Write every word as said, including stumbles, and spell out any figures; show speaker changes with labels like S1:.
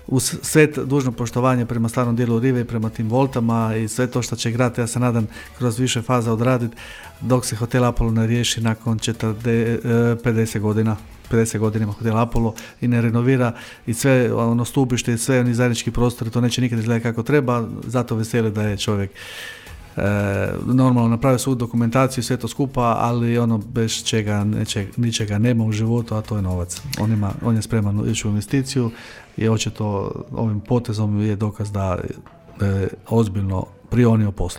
S1: uz sve dužno poštovanje prema starom dijelu rive i prema tim voltama i sve to što će grad, ja se nadam, kroz više faza odraditi dok se hotel Apollo ne riješi nakon četrdeset, pedeset godina. pedeset godinama hotel Apollo i ne renovira i sve ono stupište i sve oni zajednički prostori, to neće nikad izgledati kako treba, zato veseli da je čovjek e, normalno napravio svu dokumentaciju, sve to skupa, ali ono bez čega neće, ničega nema u životu, a to je novac. On, ima, on je spreman ići u investiciju i očito ovim potezom je dokaz da, da je ozbiljno prionio poslu.